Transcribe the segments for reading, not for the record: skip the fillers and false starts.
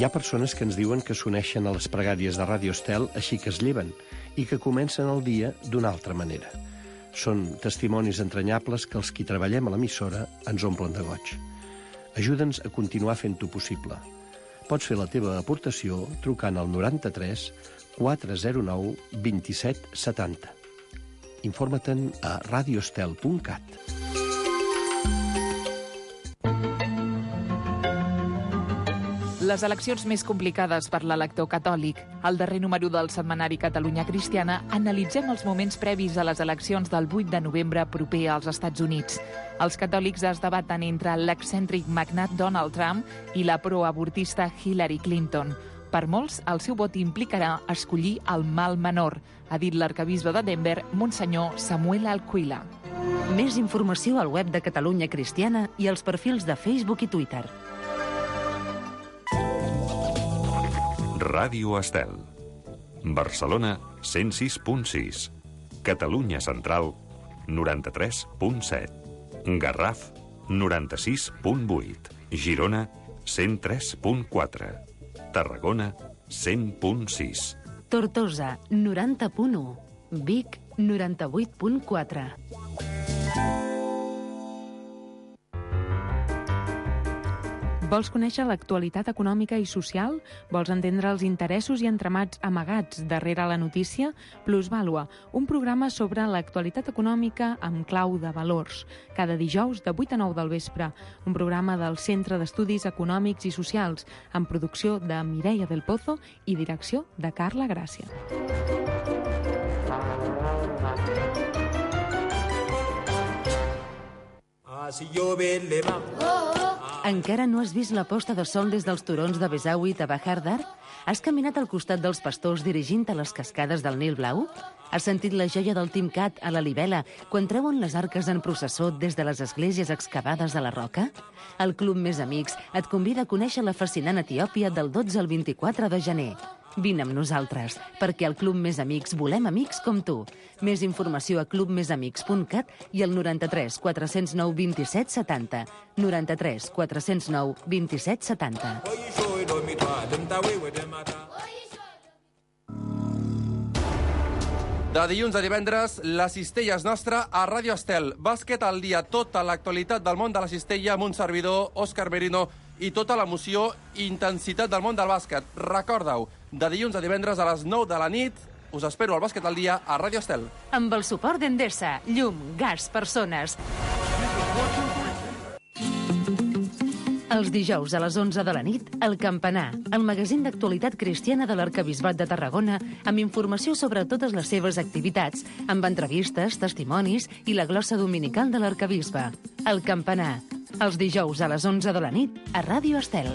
Hi ha persones que ens diuen que s'uneixen a les pregàries de Ràdio Estel així que es lleven i que comencen el dia d'una altra manera. Són testimonis entranyables que els qui treballem a l'emissora ens omplen de goig. Ajuda'ns a continuar fent-ho possible. Pots fer la teva aportació trucant al 93 409 27 70. Informa-te'n a radioestel.cat. Les eleccions més complicades per l'elector catòlic. Al darrer número del setmanari Catalunya Cristiana analitzem els moments previs a les eleccions del 8 de novembre proper als Estats Units. Els catòlics es debaten entre l'excèntric magnat Donald Trump i la proavortista Hillary Clinton. Per molts, el seu vot implicarà escollir el mal menor, ha dit l'arquebisbe de Denver, Monsenyor Samuel Alcuila. Més informació al web de Catalunya Cristiana i als perfils de Facebook i Twitter. Ràdio Estel. Barcelona, 106.6. Catalunya Central, 93.7. Garraf, 96.8. Girona, 103.4. Tarragona, 100.6. Tortosa, 90.1. Vic, 98.4. Vols conèixer l'actualitat econòmica i social? Vols entendre els interessos i entramats amagats darrere la notícia? Plusvàlua, un programa sobre l'actualitat econòmica amb clau de valors. Cada dijous de 8 a 9 del vespre. Un programa del Centre d'Estudis Econòmics i Socials, amb producció de Mireia del Pozo i direcció de Carla Gràcia. Encara no has vist la posta de sol des dels turons de Besaüit a Bahar Dar? Has caminat al costat dels pastors dirigint a les cascades del Nil Blau? Has sentit la joia del Timcat a la Libela quan treuen les arques en processó des de les esglésies excavades a la roca? El Club Més Amics et convida a conèixer la fascinant Etiòpia del 12 al 24 de gener. Vine amb nosaltres, perquè al Club Més Amics volem amics com tu. Més informació a clubmesamics.cat i al 93 409 27 70. 93 409 27 70. De dilluns a divendres, la cistella és nostra a Ràdio Estel. Bàsquet al dia, tota l'actualitat del món de la cistella amb un servidor, Òscar Merino, i tota l'emoció i intensitat del món del bàsquet. Recorda-ho, de dilluns a divendres a les 9 de la nit, us espero al Bàsquet al dia a Ràdio Estel. Amb el suport d'Endesa, llum, gas, persones. Els dijous a les 11 de la nit, El Campanar, el magazín d'actualitat cristiana de l'Arquebisbat de Tarragona, amb informació sobre totes les seves activitats, amb entrevistes, testimonis i la glossa dominical de l'Arquebisbe. El Campanar, els dijous a les 11 de la nit, a Ràdio Estel.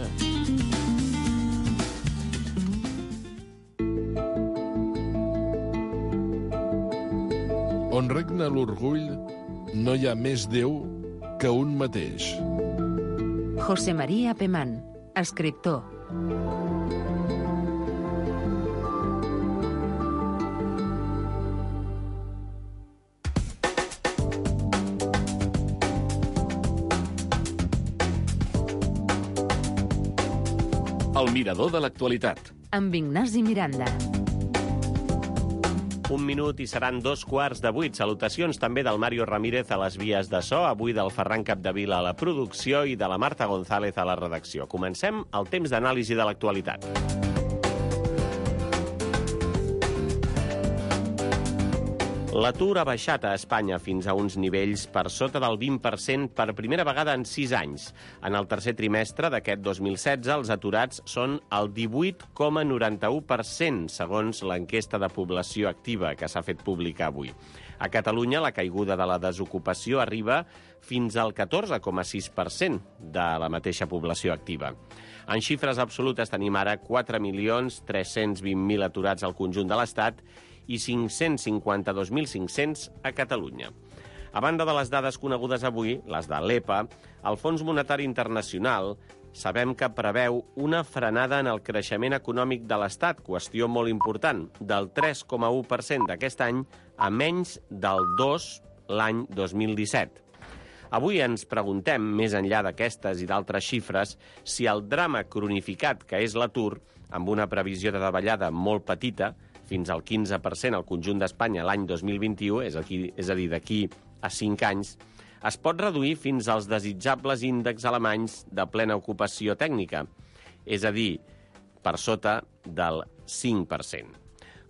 On regna l'orgull, no hi ha més Déu que un mateix. José María Pemán, escriptor. El mirador de l'actualitat. Amb Ignasi Miranda. Un minut i seran 7:15. Salutacions també del Mario Ramírez a les vies de so, avui del Ferran Capdevila a la producció i de la Marta González a la redacció. Comencem el temps d'anàlisi de l'actualitat. L'atur ha baixat a Espanya fins a uns nivells per sota del 20% per primera vegada en 6 anys. En el tercer trimestre d'aquest 2016, els aturats són el 18,91%, segons l'enquesta de població activa que s'ha fet pública avui. A Catalunya, la caiguda de la desocupació arriba fins al 14,6% de la mateixa població activa. En xifres absolutes tenim ara 4.320.000 aturats al conjunt de l'Estat i 552.500 a Catalunya. A banda de les dades conegudes avui, les de l'EPA, el Fons Monetari Internacional sabem que preveu una frenada en el creixement econòmic de l'Estat, qüestió molt important, del 3,1% d'aquest any a menys del 2% l'any 2017. Avui ens preguntem, més enllà d'aquestes i d'altres xifres, si el drama cronificat que és l'atur, amb una previsió de davallada molt petita, fins al 15% al conjunt d'Espanya l'any 2021, és a dir, d'aquí a 5 anys, es pot reduir fins als desitjables índexs alemanys de plena ocupació tècnica, és a dir, per sota del 5%.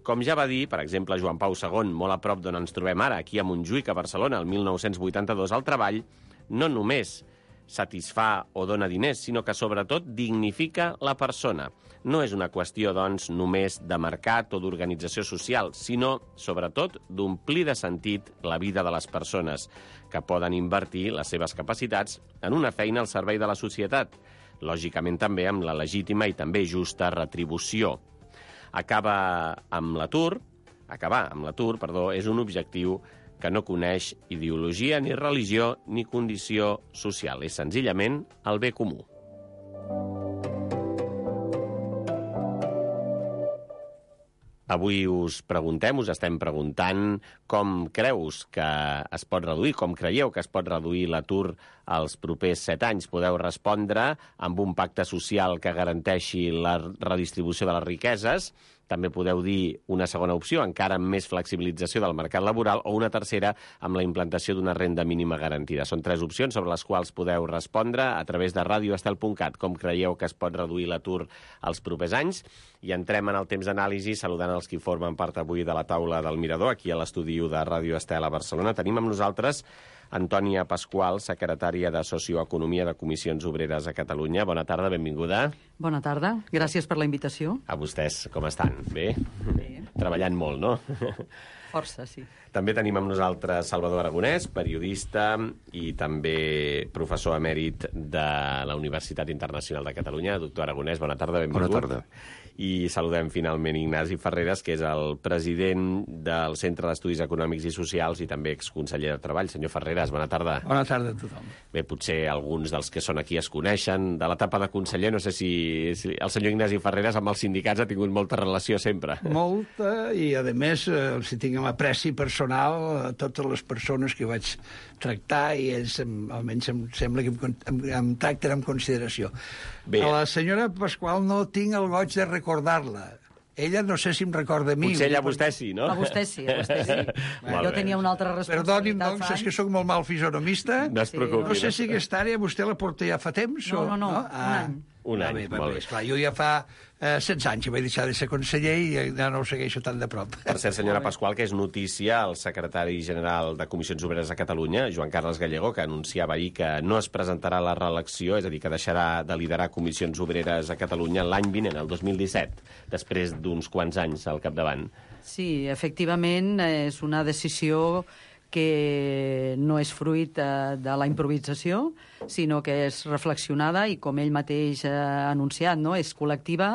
Com ja va dir, per exemple, Joan Pau II, molt a prop d'on ens trobem ara, aquí a Montjuïc, a Barcelona, el 1982, el treball no només satisfà o dona diners, sinó que, sobretot, dignifica la persona. No és una qüestió, doncs, només de mercat o d'organització social, sinó, sobretot, d'omplir de sentit la vida de les persones, que poden invertir les seves capacitats en una feina al servei de la societat, lògicament també amb la legítima i també justa retribució. Acabar amb l'atur, és un objectiu que no coneix ideologia, ni religió, ni condició social. És senzillament el bé comú. Avui us estem preguntant com creus que es pot reduir, com creieu que es pot reduir l'atur als propers 7 anys. Podeu respondre amb un pacte social que garanteixi la redistribució de les riqueses. També podeu dir una segona opció, encara amb més flexibilització del mercat laboral, o una tercera amb la implantació d'una renda mínima garantida. Són 3 opcions sobre les quals podeu respondre a través de radioestel.cat. Com creieu que es pot reduir l'atur als propers anys? I entrem en el temps d'anàlisi saludant els que formen part avui de la taula del Mirador, aquí a l'estudi de Ràdio Estel a Barcelona. Tenim amb nosaltres Antònia Pasqual, secretària de Socioeconomia de Comissions Obreres a Catalunya. Bona tarda, benvinguda. Bona tarda, gràcies per la invitació. A vostès, com estan? Bé? Bé. Treballant molt, no? Força, sí. També tenim amb nosaltres Salvador Aragonès, periodista i també professor emèrit de la Universitat Internacional de Catalunya. Doctor Aragonès, bona tarda, benvingut. Bona tarda. I saludem finalment Ignasi Ferreres, que és el president del Centre d'Estudis Econòmics i Socials i també exconseller de Treball. Senyor Ferreres, bona tarda. Bona tarda a tothom. Bé, potser alguns dels que són aquí es coneixen de l'etapa de conseller. No sé si el senyor Ignasi Ferreres amb els sindicats ha tingut molta relació sempre. Molta, i a més, si tinguem apreci personal a totes les persones que vaig tractar, i ells, almenys em sembla que em tracten amb consideració. Bé. A la senyora Pasqual no tinc el goig de recordar-la. Ella no sé si em recorda a mi. Potser ella a vostè sí, no? A vostè sí, a vostè sí. Jo tenia una altra responsabilitat. Perdoni'm, doncs, és que sóc molt mal fisonomista. No es preocupi. No sé si aquesta àrea vostè la porta ja fa temps. No, un any. Un any, molt bé. Esclar, jo ja fa 16 anys que vaig deixar de ser conseller i ja no ho segueixo tan de prop. Per cert, senyora Pasqual, que és notícia el secretari general de Comissions Obreres a Catalunya, Joan Carles Gallego, que anunciava ahir que no es presentarà a la reelecció, és a dir, que deixarà de liderar Comissions Obreres a Catalunya l'any vinent, el 2017, després d'uns quants anys al capdavant. Sí, efectivament, és una decisió que no és fruit de la improvisació, sinó que és reflexionada i, com ell mateix ha anunciat, no? És col·lectiva,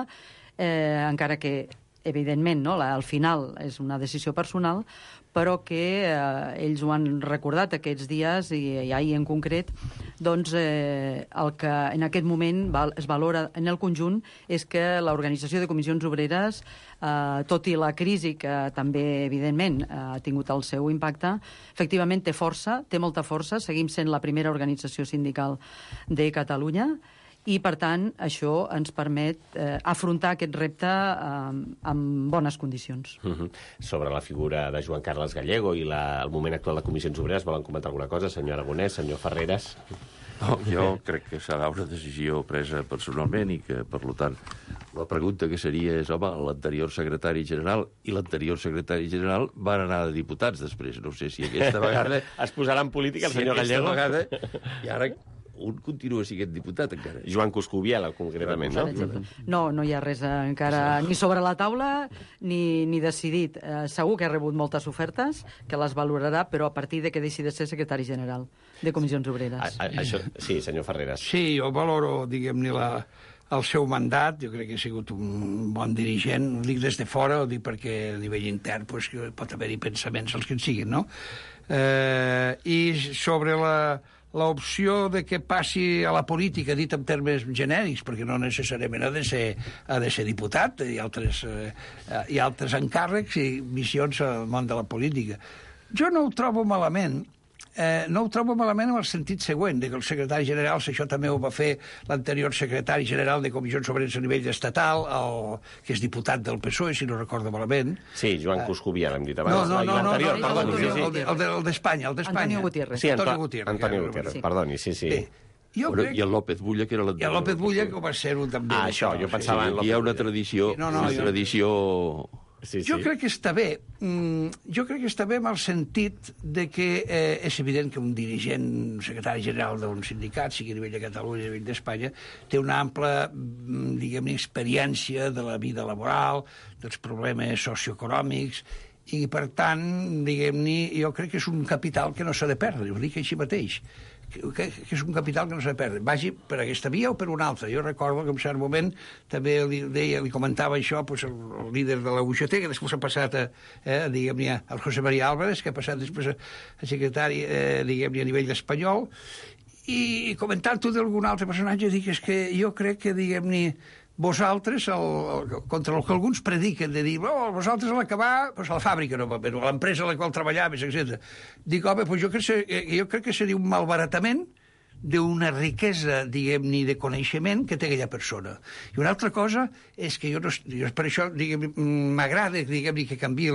encara que, evidentment, no? Al final és una decisió personal, però que ells ho han recordat aquests dies, i ahir en concret, doncs el que en aquest moment es valora en el conjunt és que l'Organització de Comissions Obreres, tot i la crisi que també, evidentment, ha tingut el seu impacte, efectivament té força, té molta força, seguim sent la primera organització sindical de Catalunya, i, per tant, això ens permet afrontar aquest repte amb bones condicions. Sobre la figura de Joan Carles Gallego i el moment actual de Comissions Obreres, volen comentar alguna cosa, senyor Aragonès, senyor Ferreres? No, jo crec que serà una decisió presa personalment i que, per tant, la pregunta que seria és, home, l'anterior secretari general i l'anterior secretari general van anar de diputats després. No sé si aquesta vegada... Es posarà en política el senyor Gallego? Vegada, i ara un continua sent diputat encara. Joan Coscubiela, concretament, no? No hi ha res encara ni sobre la taula ni decidit. Segur que ha rebut moltes ofertes, que les valorarà, però a partir de que deixi de ser secretari general de Comissions Obreres. Sí, senyor Ferreres. Sí, jo valoro, diguem-ne, el seu mandat. Jo crec que ha sigut un bon dirigent. Ho dic des de fora, ho dic perquè a nivell intern pues, pot haver-hi pensaments els que en siguin, no? I sobre l'opció de que passi a la política, dit en termes genèrics, perquè no necessàriament ha de ser diputat, hi ha altres encàrrecs i missions al món de la política. Jo no ho trobo malament, no ho trobo malament en el sentit següent, que el secretari general, això també ho va fer l'anterior secretari general de Comissions Obreres a nivell estatal, que és diputat del PSOE, si no recordo malament. Sí, Joan Coscubià, l'hem dit abans. El d'Espanya. Antonio Gutiérrez. Sí, Antonio Gutiérrez, perdoni, sí. I el López Bulla, que era l'anterior. I el López Bulla, que va ser un també. Això, jo pensava en López Bulla. Hi ha una tradició... Jo crec que està bé. Jo crec que està bé en el sentit de que és evident que un dirigent, un secretari general d'un sindicat, sigui a nivell de Catalunya, a nivell d'Espanya, té una ampla, diguem-ne, experiència de la vida laboral, dels problemes socioeconòmics, i, per tant, diguem-ne, jo crec que és un capital que no s'ha de perdre, ho dic així mateix, que és un capital que no s'ha de perdre. Vagi per aquesta via o per una altra. Jo recordo que en cert moment també li comentava això el líder de la UGT, que després ha passat diguem-ne, al José María Álvarez, que ha passat després a secretari, diguem-ne, a nivell espanyol, i comentant-ho d'algun altre personatge, dic, és que jo crec que, diguem-ne, vosaltres, contra el que alguns prediquen, de dir, vosaltres a l'acabar, a la fàbrica, no, a l'empresa a la qual treballaves, etc. Dic, home, jo crec que seria un malbaratament d'una riquesa, diguem-ne, de coneixement que té aquella persona. I una altra cosa és que jo per això, m'agrada, diguem-ne, que canviï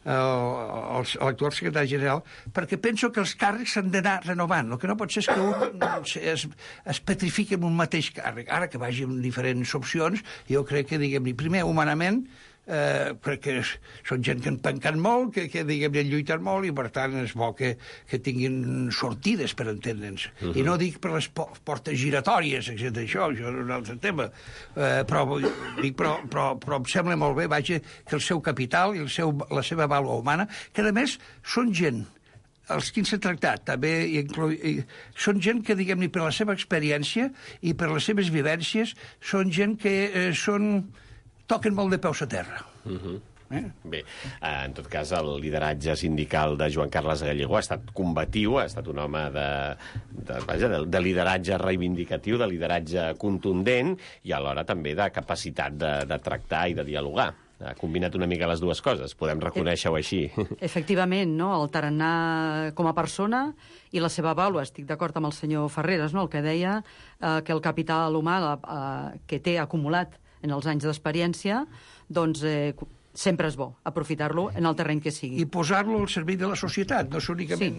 l'actual secretari general, perquè penso que els càrrecs s'han d'anar renovant. El que no pot ser és que un es petrifiqui en un mateix càrrec. Ara que vagi amb diferents opcions, jo crec que, diguem-ne, primer, humanament, crec que són gent que han pencat molt, que diguem-ne, lluiten molt, i per tant és bo que tinguin sortides, per entendre'ns. I no dic per les portes giratòries, etc. Això és un altre tema. Però em sembla molt bé, vaja, que el seu capital i la seva vàlua humana, que a més són gent, els que s'han tractat, també són gent que, diguem-ne, per la seva experiència i per les seves vivències, són gent que toquen molt de peus a terra. Bé, en tot cas, el lideratge sindical de Joan Carles Gallego ha estat combatiu, ha estat un home de lideratge reivindicatiu, de lideratge contundent i alhora també de capacitat de tractar i de dialogar. Ha combinat una mica les dues coses, podem reconèixer-ho així. Efectivament, no? El tarannà com a persona i la seva vàlua. Estic d'acord amb el senyor Ferreres, no? El que deia que el capital humà que té acumulat en els anys d'experiència, doncs sempre és bo aprofitar-lo en el terreny que sigui. I posar-lo al servei de la societat, no és únicament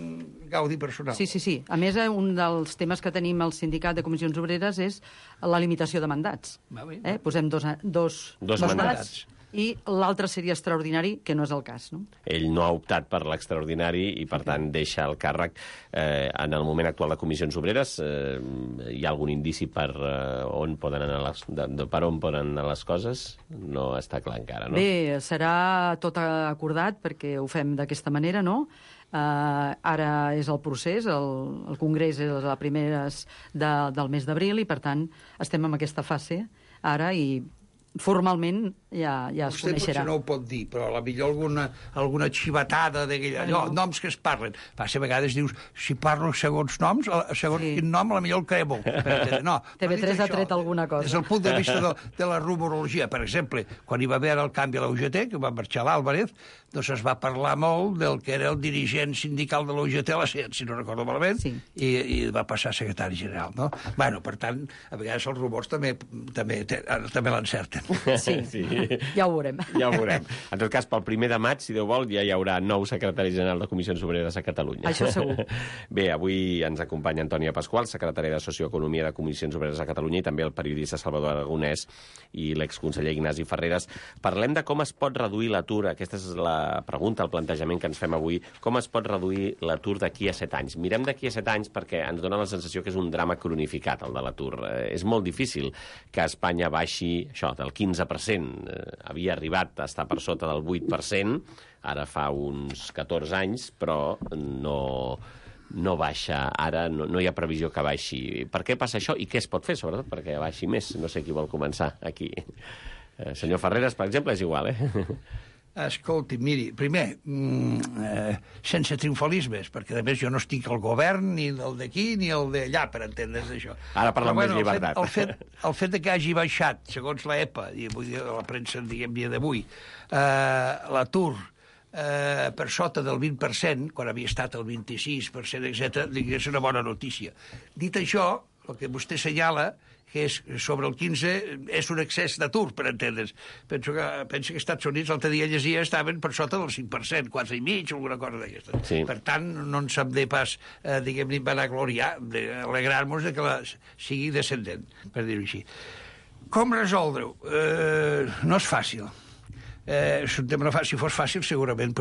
gaudi personal. Sí. A més, un dels temes que tenim al Sindicat de Comissions Obreres és la limitació de mandats. Posem dos mandats. I l'altre seria extraordinari, que no és el cas. No? Ell no ha optat per l'extraordinari i, per tant, deixa el càrrec. En el moment actual de Comissions Obreres, hi ha algun indici per on poden anar les coses? No està clar encara, no? Bé, serà tot acordat, perquè ho fem d'aquesta manera, no? Ara és el procés, el Congrés és a primeres del mes d'abril i, per tant, estem en aquesta fase ara i formalment ja es coneixerà. Vostè potser no ho pot dir, però potser alguna xivatada noms que es parlen. A vegades dius, si parlo segons noms, segons quin nom, potser el cremo. No, TV3 ha tret alguna cosa. Des del punt de vista de la rumorologia, per exemple, quan hi va haver el canvi a la UGT, que va marxar l'Álvarez, doncs es va parlar molt del que era el dirigent sindical de la UGT a la SEAT, si no recordo malament, i va passar a secretari general, no? Bueno, per tant, a vegades els rumors també l'encerten. Sí, ja ho veurem. Ja ho veurem. En tot cas, pel 1 de maig, si Déu vol, ja hi haurà nou secretari general de Comissions Obreres a Catalunya. Això segur. Bé, avui ens acompanya Antònia Pasqual, secretària de Socioeconomia de Comissions Obreres a Catalunya, i també el periodista Salvador Aragonès i l'exconseller Ignasi Ferreres. Parlem de com es pot reduir l'atur. Aquesta és la pregunta, el plantejament que ens fem avui. Com es pot reduir l'atur d'aquí a 7 anys? Mirem d'aquí a 7 anys perquè ens dona la sensació que és un drama cronificat, el de l'atur. És molt difícil que Espanya baixi això, del 15%. Havia arribat a estar per sota del 8%, ara fa uns 14 anys, però no baixa. Ara no hi ha previsió que baixi. Per què passa això i què es pot fer, sobretot, perquè baixi més? No sé qui vol començar aquí. Senyor Ferreres, per exemple, és igual, Escolti, miri, primer, sense triomfalismes, perquè a més jo no estic al govern, ni el d'aquí, ni el d'allà, per entendre's això. Ara parlem més llibertat. El fet que hagi baixat, segons l'EPA, i vull dir la premsa, diguem, dia d'avui, l'atur per sota del 20%, quan havia estat el 26%, etc., és una bona notícia. Dit això, el que vostè assenyala, que és sobre el 15, és un excés d'atur, per entendre's. Penso que als Estats Units l'altre dia llegia estaven per sota del 5%, 4,5%, alguna cosa d'aquesta. Sí. Per tant, no ens hem de pas, diguem-ne, vanagloriar, d'alegrar-nos que sigui descendent, per dir-ho així. Com resoldre-ho? No és fàcil. És un tema no fàcil. Si fos fàcil, segurament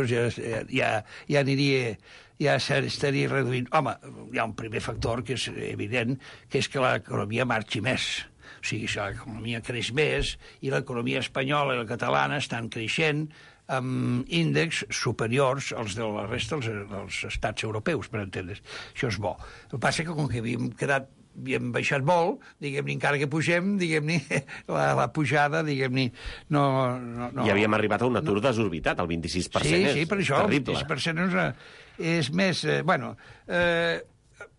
ja aniria... ja s'estaria reduint. Home, hi ha un primer factor que és evident, que és que l'economia marxi més. O sigui, si l'economia creix més i l'economia espanyola i la catalana estan creixent amb índexs superiors als de la resta dels estats europeus, per entendre's. Això és bo. El que passa que com que havíem baixat molt, diguem-ne, encara que pugem, diguem-ne, la pujada, diguem-ne, no... I havíem arribat a un atur desorbitat, el 26%. Sí, per això, terrible. El 26% és més...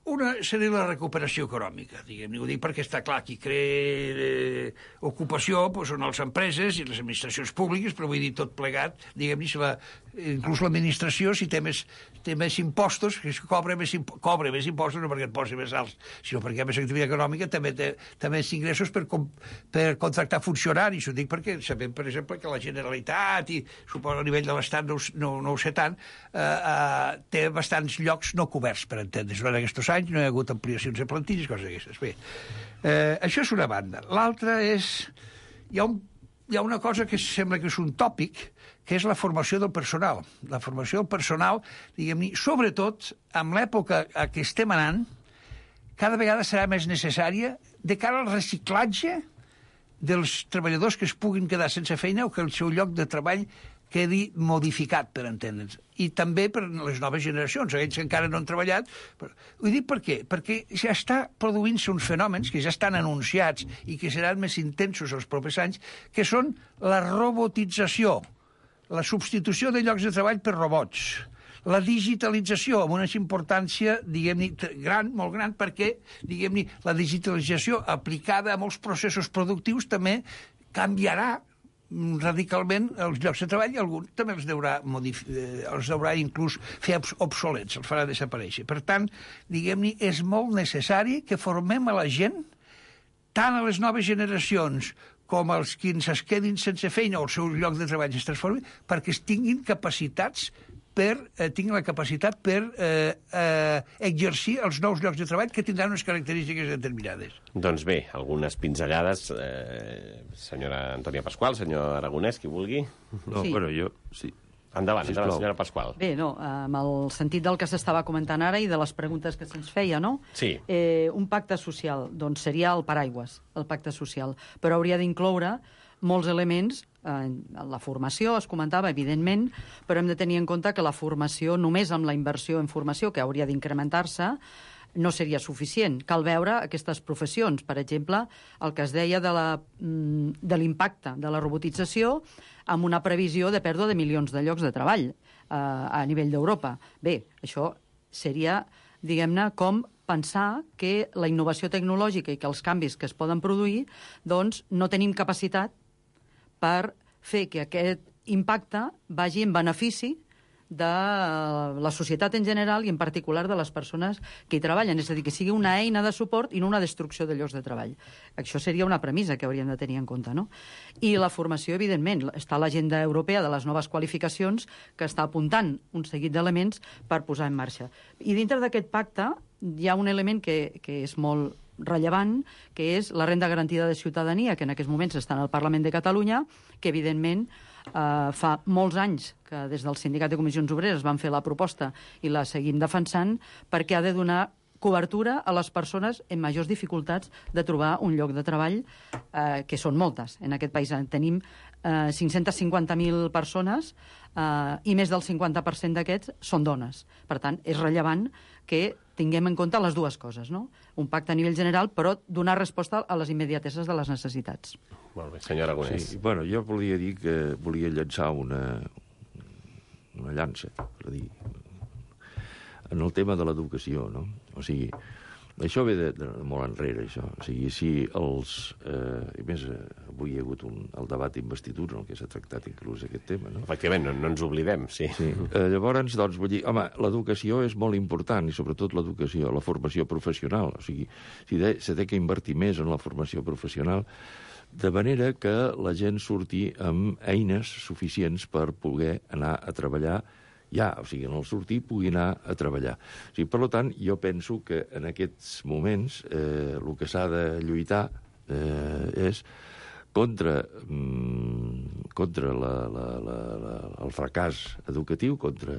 Una seria la recuperació econòmica, diguem-ne, ho dic perquè està clar, qui crea ocupació són les empreses i les administracions públiques, però vull dir tot plegat, diguem-ne, inclús l'administració, si té més impostos, que cobra més impostos, no perquè et posi més alts, sinó perquè hi ha més activitat econòmica, també té més ingressos per contractar funcionaris. Ho dic perquè sabem, per exemple, que la Generalitat, i suposo a nivell de l'Estat no ho sé tant, té bastants llocs no coberts, per entendre's. Durant aquests anys no hi ha hagut ampliacions de plantilles, coses d'aquestes. Bé, això és una banda. L'altra és... Hi ha una cosa que sembla que és un tòpic, que és la formació del personal. La formació del personal, diguem-ne, sobretot amb l'època a què estem anant, cada vegada serà més necessària de cara al reciclatge dels treballadors que es puguin quedar sense feina o que el seu lloc de treball quedi modificat, per entendre'ns. I també per les noves generacions, aquells que encara no han treballat. Ho dic per què? Perquè ja està produint-se uns fenòmens que ja estan anunciats i que seran més intensos els propers anys, que són la robotització, la substitució de llocs de treball per robots, la digitalització amb una importància, diguem-ne, molt gran, perquè, diguem-ne, la digitalització aplicada a molts processos productius també canviarà radicalment els llocs de treball i algun també els deurà inclús fer obsolets, els farà desaparèixer. Per tant, diguem-ne, és molt necessari que formem a la gent, tant a les noves generacions com els que es quedin sense feina o el seu lloc de treball es transformi, perquè tinguin la capacitat per exercir els nous llocs de treball que tindran unes característiques determinades. Doncs bé, algunes pinzellades. Senyora Antònia Pasqual, senyor Aragonès, qui vulgui. No, sí. Bueno, jo... Sí. Endavant, senyora Pasqual. Bé, no, amb el sentit del que s'estava comentant ara i de les preguntes que se'ns feia, no? Sí. Un pacte social, doncs seria el paraigües, el pacte social, però hauria d'incloure molts elements. La formació es comentava, evidentment, però hem de tenir en compte que la formació, només amb la inversió en formació, que hauria d'incrementar-se, no seria suficient. Cal veure aquestes professions. Per exemple, el que es deia de l'impacte de la robotització amb una previsió de pèrdua de milions de llocs de treball a nivell d'Europa. Bé, això seria, diguem-ne, com pensar que la innovació tecnològica i que els canvis que es poden produir, doncs no tenim capacitat per fer que aquest impacte vagi en benefici de la societat en general i en particular de les persones que hi treballen. És a dir, que sigui una eina de suport i no una destrucció de llocs de treball. Això seria una premissa que hauríem de tenir en compte, no? I la formació, evidentment. Està l'agenda europea de les noves qualificacions que està apuntant un seguit d'elements per posar en marxa. I dintre d'aquest pacte hi ha un element que és molt rellevant, que és la renda garantida de ciutadania, que en aquests moments està en el Parlament de Catalunya, que evidentment fa molts anys que des del Sindicat de Comissions Obreres van fer la proposta i la seguim defensant, perquè ha de donar cobertura a les persones amb majors dificultats de trobar un lloc de treball, que són moltes. En aquest país tenim 550.000 persones i més del 50% d'aquests són dones. Per tant, és rellevant que tinguem en compte les dues coses, no? Un pacte a nivell general, però donar resposta a les immediateses de les necessitats. Molt bé, senyor Aragonès. Sí, bueno, jo volia dir que volia llançar una llança, per dir, en el tema de l'educació, no? O sigui, Això ve de molt enrere, això. O sigui, si els... I més, avui hi ha hagut el debat d'investidura en el que s'ha tractat inclús aquest tema, no? Efectivament, no ens oblidem, sí. Llavors, doncs, vull dir, home, l'educació és molt important, i sobretot l'educació, la formació professional. O sigui, s'ha de que invertir més en la formació professional, de manera que la gent surti amb eines suficients per poder anar a treballar o sigui, en el sortir pugui anar a treballar. O sigui, per tant, jo penso que en aquests moments el que s'ha de lluitar és contra el fracàs educatiu, contra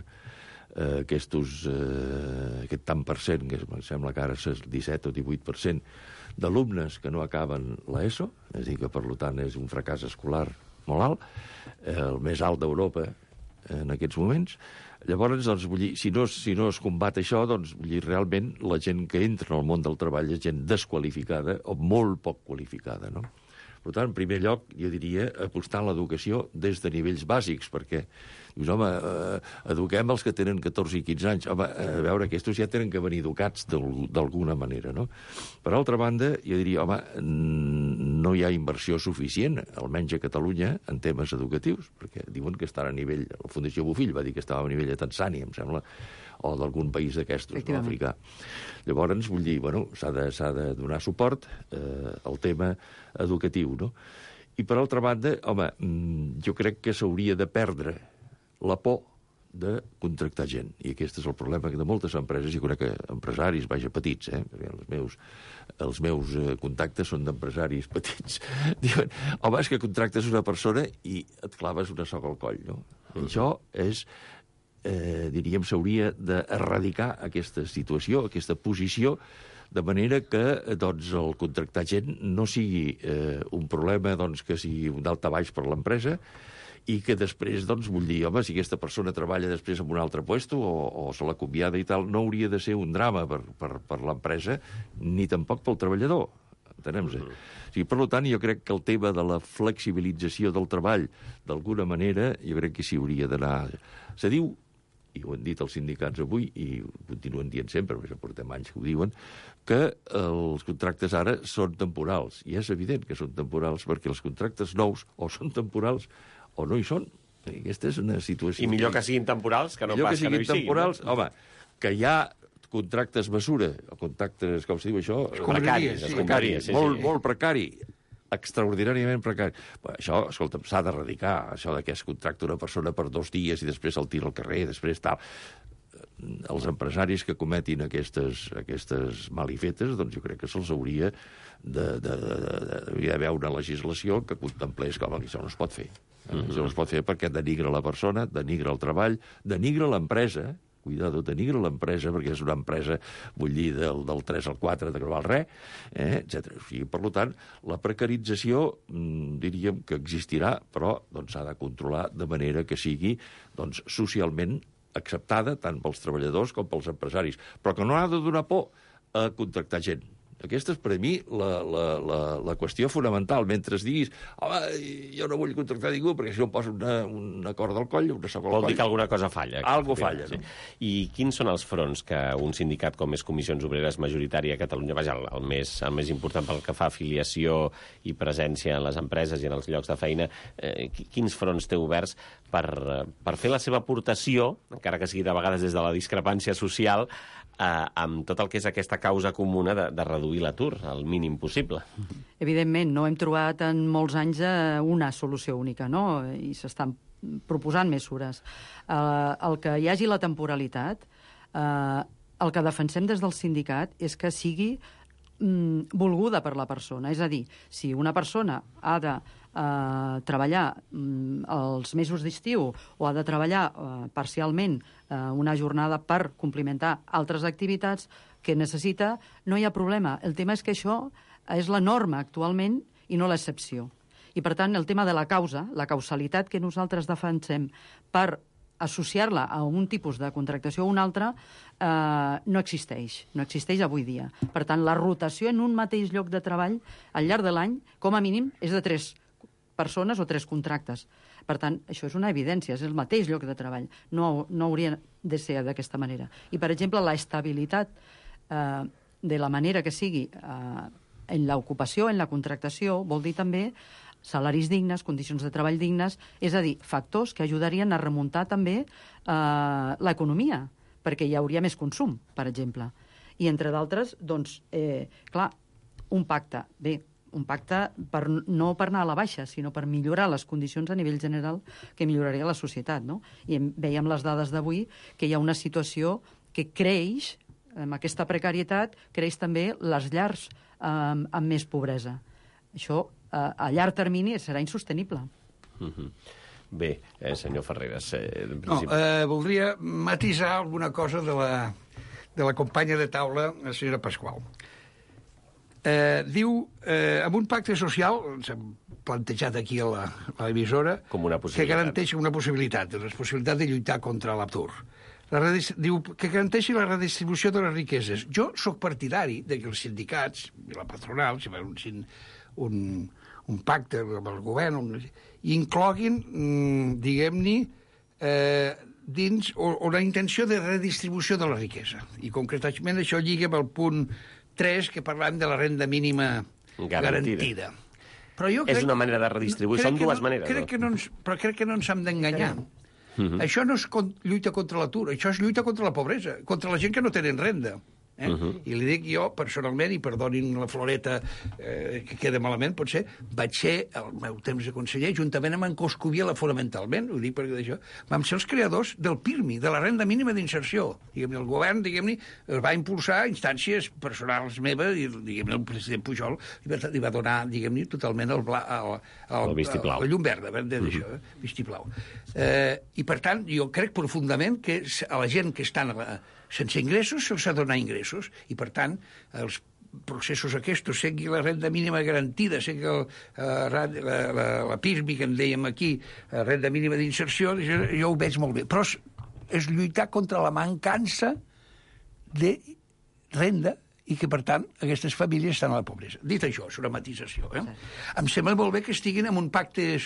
aquest tant per cent, que em sembla que ara és el 17 o 18% d'alumnes que no acaben l'ESO, és a dir, que per tant és un fracàs escolar molt alt, el més alt d'Europa en aquests moments. Llavors, doncs, vull dir, si no es combat això, doncs, vull dir, realment la gent que entra en el món del treball és gent desqualificada o molt poc qualificada, no? Per tant, en primer lloc, jo diria apostar en l'educació des de nivells bàsics, perquè dius, home, eduquem els que tenen 14 i 15 anys. Home, a veure, aquests ja tenen que venir educats d'alguna manera, no? Per altra banda, jo diria, home, no hi ha inversió suficient, almenys a Catalunya, en temes educatius, perquè diuen que estan a nivell... La Fundació Bofill va dir que estava a nivell de Tanzània, em sembla, o d'algun país d'aquestos, no, africà. Llavors, vull dir, bueno, s'ha de donar suport al tema educatiu, no? I, per altra banda, home, jo crec que s'hauria de perdre la por de contractar gent. I aquest és el problema de moltes empreses, i crec que empresaris, vaja, petits, perquè els meus contactes són d'empresaris petits. Diuen, home, és que contractes una persona i et claves una soga al coll, no? Això és... diríem, s'hauria d'erradicar aquesta situació, aquesta posició, de manera que doncs, el contractar gent no sigui un problema doncs, que sigui un daltabaix per l'empresa i que després, doncs, vull dir, home, si aquesta persona treballa després en un altre puesto o se l'acomiada i tal, no hauria de ser un drama per l'empresa ni tampoc pel treballador. Entenem-se? O sigui, per tant, jo crec que el tema de la flexibilització del treball, d'alguna manera, jo crec que s'hi hauria d'anar... Se diu, i ho han dit els sindicats avui, i ho continuen dient sempre, perquè ja portem anys que ho diuen, que els contractes ara són temporals. I és evident que són temporals, perquè els contractes nous o són temporals o no hi són. I aquesta és una situació... I millor que siguin temporals que no pas que no hi siguin. Temporals, home, que hi ha contractes mesura, o contractes, com se diu això? Precaris. Molt precari, extraordinàriament precari. Bé, això, escolta'm, s'ha d'erradicar, això que es contracta una persona per 2 dies i després el tira al carrer, després tal. Els empresaris que cometin aquestes malifetes, doncs jo crec que se'ls hauria d'haver una legislació que contemplés com això no es pot fer. Això no es pot fer perquè denigra la persona, denigra el treball, denigra l'empresa, cuidado, denigra l'empresa, perquè és una empresa, vull dir, del 3 al 4, de no val res, etc. O sigui, per tant, la precarització, diríem que existirà, però s'ha de controlar de manera que sigui socialment acceptada tant pels treballadors com pels empresaris, però que no ha de donar por a contractar gent. Aquesta és, per a mi, la qüestió fonamental. Mentre diguis, home, jo no vull contractar ningú perquè si no em poso una corda al coll, una soga al coll... Vol dir que alguna cosa falla. Algo falla, no? I quins són els fronts que un sindicat com és Comissions Obreres majoritària a Catalunya, vaja, el més important pel que fa a afiliació i presència en les empreses i en els llocs de feina, quins fronts té oberts per fer la seva aportació, encara que sigui de vegades des de la discrepància social, amb tot el que és aquesta causa comuna de reduir l'atur al mínim possible? Evidentment, no hem trobat en molts anys una solució única, no? I s'estan proposant mesures. El que hi hagi la temporalitat, el que defensem des del sindicat és que sigui volguda per la persona. És a dir, si una persona ha de treballar els mesos d'estiu o ha de treballar parcialment una jornada per complementar altres activitats que necessita, no hi ha problema. El tema és que això és la norma actualment i no l'excepció. I, per tant, el tema de la causa, la causalitat que nosaltres defensem per associar-la a un tipus de contractació o un altre, no existeix. No existeix avui dia. Per tant, la rotació en un mateix lloc de treball al llarg de l'any, com a mínim, és de 3 persones o 3 contractes. Per tant, això és una evidència, és el mateix lloc de treball. No hauria de ser d'aquesta manera. I, per exemple, la estabilitat de la manera que sigui en l'ocupació, en la contractació, vol dir també salaris dignes, condicions de treball dignes, és a dir, factors que ajudarien a remuntar també l'economia, perquè hi hauria més consum, per exemple. I, entre d'altres, doncs, clar, un pacte no per anar a la baixa, sinó per millorar les condicions a nivell general que milloraria la societat, no? I veiem les dades d'avui que hi ha una situació que creix, amb aquesta precarietat, creix també les llars amb més pobresa. Això, a llarg termini, serà insostenible. Bé, senyor Ferreres... voldria matisar alguna cosa de la companya de taula, la senyora Pasqual. Diu, amb un pacte social, s'ha plantejat aquí a l'emissora, que garanteix una possibilitat de lluitar contra l'atur. Diu que garanteixi la redistribució de les riqueses. Jo sóc partidari que els sindicats i la patronal, si fan un pacte amb el govern, incloguin, diguem-ne, dins una intenció de redistribució de la riquesa. I concretament això lliga amb el punt 3, que parlem de la renda mínima garantida. Però és una manera de redistribuir, són dues maneres. Però crec que no ens hem d'enganyar. Això no és lluita contra l'atur, això és lluita contra la pobresa, contra la gent que no tenen renda. I li dic jo, personalment, i perdonin la floreta que queda malament, potser, vaig ser, al meu temps de conseller, juntament amb en Coscubiela fonamentalment, ho dic perquè d'això, vam ser els creadors del PIRMI, de la renda mínima d'inserció. El govern, diguem-ne, es va impulsar a instàncies personals meves, i diguem-ne, el president Pujol li va donar, diguem-ne, totalment el llum verda, d'això, vistiplau. I, per tant, jo crec profundament que a la gent que estan sense ingressos se'ls ha de donar ingressos, i per tant els processos aquests, sigui la renda mínima garantida, sigui la PIRMI que en dèiem aquí, renda mínima d'inserció, jo ho veig molt bé, però és lluitar contra la mancança de renda i que, per tant, aquestes famílies estan a la pobresa. Dit això, és una matisació. Em sembla molt bé que estiguin en un pacte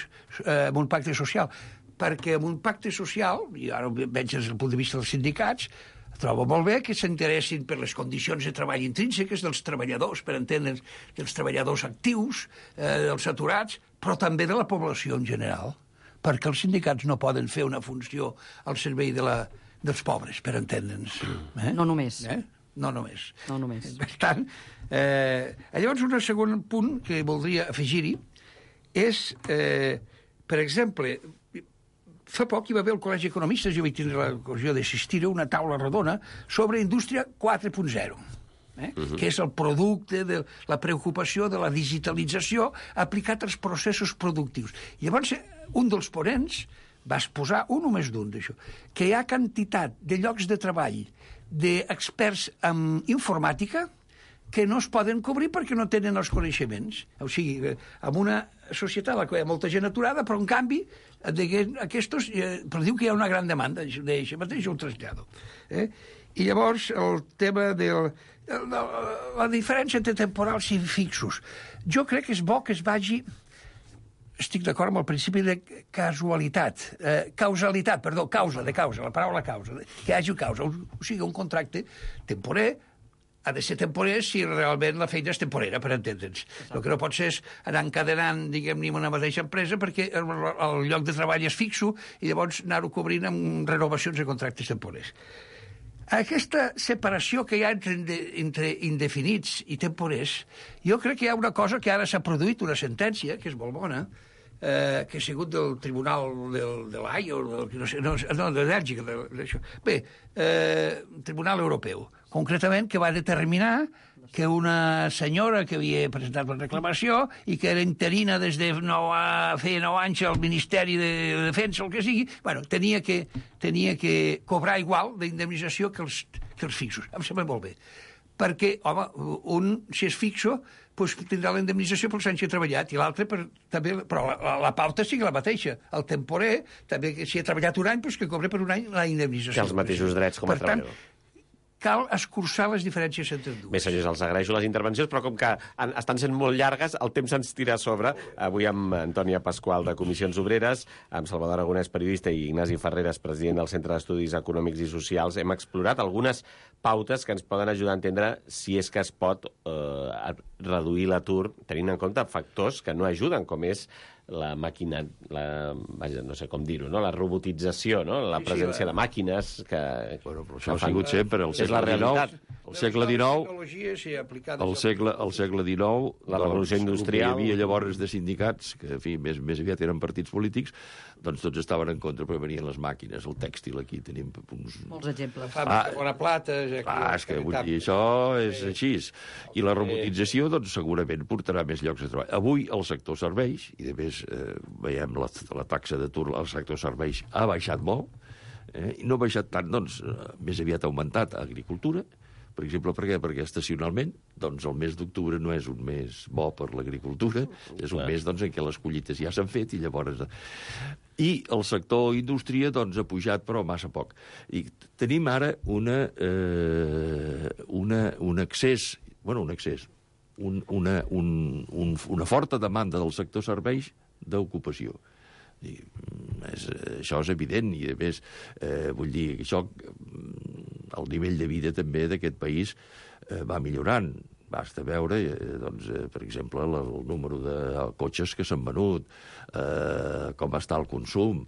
social, perquè en un pacte social, i ara ho veig des del punt de vista dels sindicats, trobo molt bé que s'interessin per les condicions de treball intrínseques dels treballadors, per entendre'ns, dels treballadors actius, dels aturats, però també de la població en general, perquè els sindicats no poden fer una funció al servei dels pobres, per entendre'ns. No només. No només. No només. Per tant, llavors un segon punt que voldria afegir-hi és, per exemple, fa poc hi va haver al Col·legi d'Economistes, jo vaig tindre l'ocasió d'assistir a una taula redona sobre Indústria 4.0, que és el producte de la preocupació de la digitalització aplicat als processos productius. Llavors, un dels ponents va exposar, un o més d'un d'això, que hi ha quantitat de llocs de treball d'experts en informàtica que no es poden cobrir perquè no tenen els coneixements. O sigui, en una societat en la que hi ha molta gent aturada, però en canvi, aquests, però diu que hi ha una gran demanda d'això mateix, ho trasllado. I llavors, el tema de la diferència entre temporals i fixos. Jo crec que és bo que es vagi... Estic d'acord amb el principi de causalitat, la paraula causa, que hi hagi causa. O sigui, un contracte temporer ha de ser temporer si realment la feina és temporera, per entendre'ns. El que no pot ser és anar encadenant, diguem-ne, una mateixa empresa perquè el lloc de treball és fixo i llavors anar-ho cobrint amb renovacions de contractes temporers. Aquesta separació que hi ha entre indefinits i temporers, jo crec que hi ha una cosa que ara s'ha produït, una sentència, que és molt bona, que ha sigut del Tribunal de l'AI, de Bèlgica, bé, Tribunal Europeu, concretament, que va determinar que una senyora que havia presentat una reclamació i que era interina des de feia 9 anys al Ministeri de Defensa, el que sigui, bueno, tenia que cobrar igual d'indemnització que els fixos. Em sembla molt bé. Perquè, home, si és fixo, doncs tindrà la indemnització pels anys que ha treballat, i l'altre també, però la pauta sigui la mateixa. El temporer, també, si ha treballat un any, doncs que cobre per un any la indemnització. Té els mateixos drets com a treballador. cal escurçar les diferències entre dues. Bé, senyors, els agraeixo les intervencions, però com que estan sent molt llargues, el temps ens tira a sobre. Avui amb Antònia Pasqual, de Comissions Obreres, amb Salvador Aragonès, periodista, i Ignasi Ferreres, president del Centre d'Estudis Econòmics i Socials, hem explorat algunes pautes que ens poden ajudar a entendre si és que es pot reduir l'atur, tenint en compte factors que no ajuden, com és la màquina, vaja, no sé com dir-ho, no? La robotització, no? La presència de màquines que... Bueno, però això ha sigut sempre el segle XIX. El segle XIX, el segle XIX, la revolució industrial... Hi havia llavors de sindicats, que en fi, més aviat eren partits polítics, doncs tots estaven en contra, però venien les màquines, el tèxtil, aquí tenim uns... Molts exemples. Bona plata... És que vull dir, això és així. I la robotització, doncs, segurament portarà més llocs de treball. Avui el sector serveis, i de més veiem la taxa d'atur al sector serveis ha baixat molt, i no ha baixat tant, doncs, més aviat ha augmentat a agricultura, per exemple, per què? Perquè estacionalment, doncs, el mes d'octubre no és un mes bo per l'agricultura, és un mes, doncs, en què les collites ja s'han fet i llavors... I el sector indústria, doncs, ha pujat, però massa poc. I tenim ara un excés, una forta demanda del sector serveis d'ocupació. Això és evident i, a més, vull dir, això, el nivell de vida també d'aquest país va millorant. Basta veure, doncs, per exemple, el número de cotxes que s'han venut, com està el consum.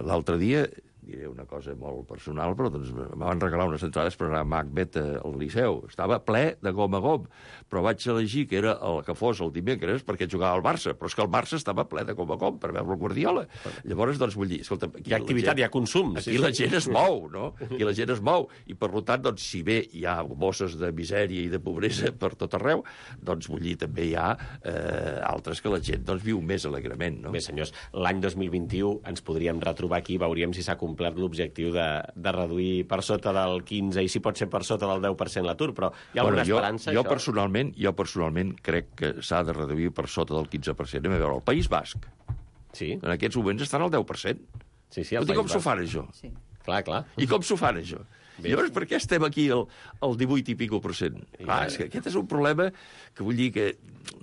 L'altre dia, diré una cosa molt personal, però doncs, em van regalar unes entrades per anar a Macbeth al Liceu. Estava ple de gom a gom, però vaig elegir que era el que fos el dimecres perquè jugava al Barça, però és que el Barça estava ple de gom a gom per veure el Guardiola. Llavors, doncs, vull dir, escolta... Hi ha activitat, hi ha consum. Aquí la gent es mou, no? Aquí la gent es mou. I, per tant, doncs, si bé hi ha bosses de misèria i de pobresa per tot arreu, doncs, vull dir, també hi ha altres que la gent, doncs, viu més alegrement, no? Bé, senyors, l'any 2021 ens podríem retrobar aquí, veuríem si s'ha complert l'objectiu de reduir per sota del 15 i si pot ser per sota del 10% l'atur, però hi ha alguna esperança? Jo personalment crec que s'ha de reduir per sota del 15%. Anem a veure, el País Basc, en aquests moments estan al 10%. Sí, com s'ho fan, això? Sí. Clar. I com s'ho fan, això? Llavors, per què estem aquí al 18 i pico %? És que aquest és un problema que vull dir que,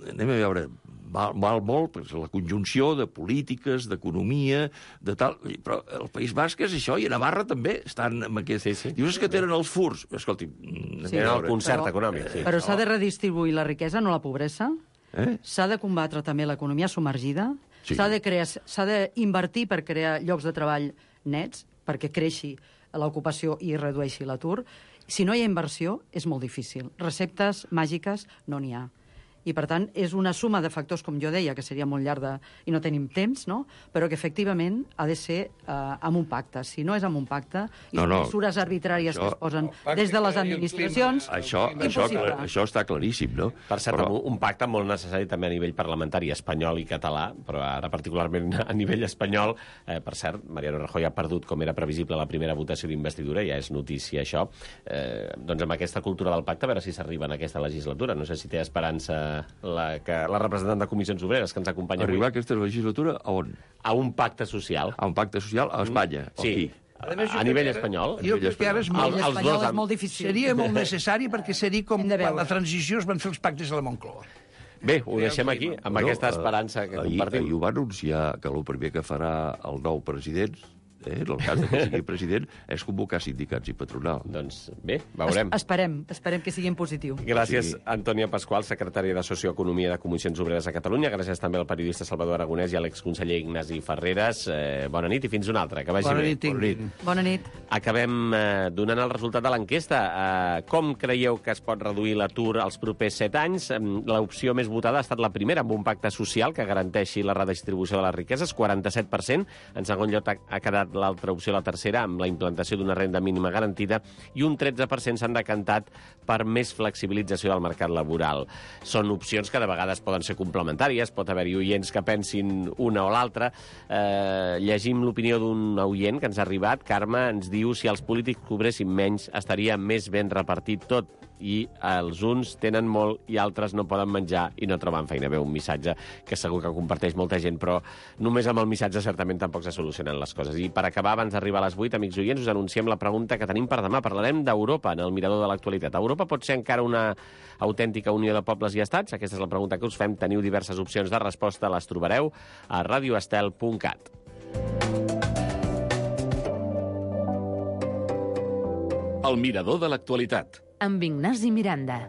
anem a veure, val molt, la conjunció de polítiques, d'economia, de tal... Però el País Basc és això, i a Navarra també estan amb aquest... Sí. Dius que tenen els furs. Escolti, el concert econòmic. Sí. Però s'ha de redistribuir la riquesa, no la pobresa. S'ha de combatre també l'economia submergida. Sí. S'ha d'invertir per crear llocs de treball nets, perquè creixi l'ocupació i redueixi l'atur. Si no hi ha inversió, és molt difícil. Receptes màgiques no n'hi ha. I, per tant, és una suma de factors, com jo deia, que seria molt llarga i no tenim temps, no? Però que, efectivament, ha de ser amb un pacte. Si no és amb un pacte, i mesures arbitràries que es posen des de les administracions... Això està claríssim, no? Per cert, un pacte molt necessari també a nivell parlamentari espanyol i català, però ara particularment a nivell espanyol. Per cert, Mariano Rajoy ha perdut, com era previsible, la primera votació d'investidura, ja és notícia això. Doncs amb aquesta cultura del pacte, a veure si s'arriba en aquesta legislatura. No sé si té esperança la representant de Comissions Obreres que ens acompanya avui. Arribar a aquesta legislatura a on? A un pacte social. A un pacte social a Espanya? Sí. A nivell espanyol. Jo crec que ara és molt difícil. Seria molt necessari perquè seria com quan la transició es van fer els pactes a la Moncloa. Bé, ho deixem aquí, amb aquesta esperança que compartim. Ahir ho va anunciar que el primer que farà el nou president, en el cas que sigui president, és convocar sindicats i patronal. Doncs bé, veurem. Esperem que sigui en positiu. Gràcies, Antònia Pasqual, secretària de Socioeconomia de Comissions Obreres a Catalunya. Gràcies també al periodista Salvador Aragonès i a l'exconseller Ignasi Ferreres. Bona nit i fins una altra. Que vagi bé. Bona nit. Acabem donant el resultat de l'enquesta. Com creieu que es pot reduir l'atur als propers 7 anys? L'opció més votada ha estat la primera, amb un pacte social que garanteixi la redistribució de les riqueses, 47%. En segon lloc ha quedat l'altra opció, la tercera, amb la implantació d'una renda mínima garantida, i un 13% s'han decantat per més flexibilització del mercat laboral. Són opcions que de vegades poden ser complementàries, pot haver-hi oients que pensin una o l'altra. Llegim l'opinió d'un oient que ens ha arribat. Carme ens diu: si els polítics cobressin menys, estaria més ben repartit tot. i els uns tenen molt i altres no poden menjar i no troben feina. Bé, un missatge que segur que comparteix molta gent, però només amb el missatge certament tampoc se solucionen les coses. I per acabar, abans d'arribar a les 8, amics oients, us anunciem la pregunta que tenim per demà. Parlarem d'Europa en el Mirador de l'actualitat. Europa pot ser encara una autèntica unió de pobles i estats? Aquesta és la pregunta que us fem. Teniu diverses opcions de resposta, les trobareu a radioestel.cat. El Mirador de l'actualitat. Amb Ignasi Miranda.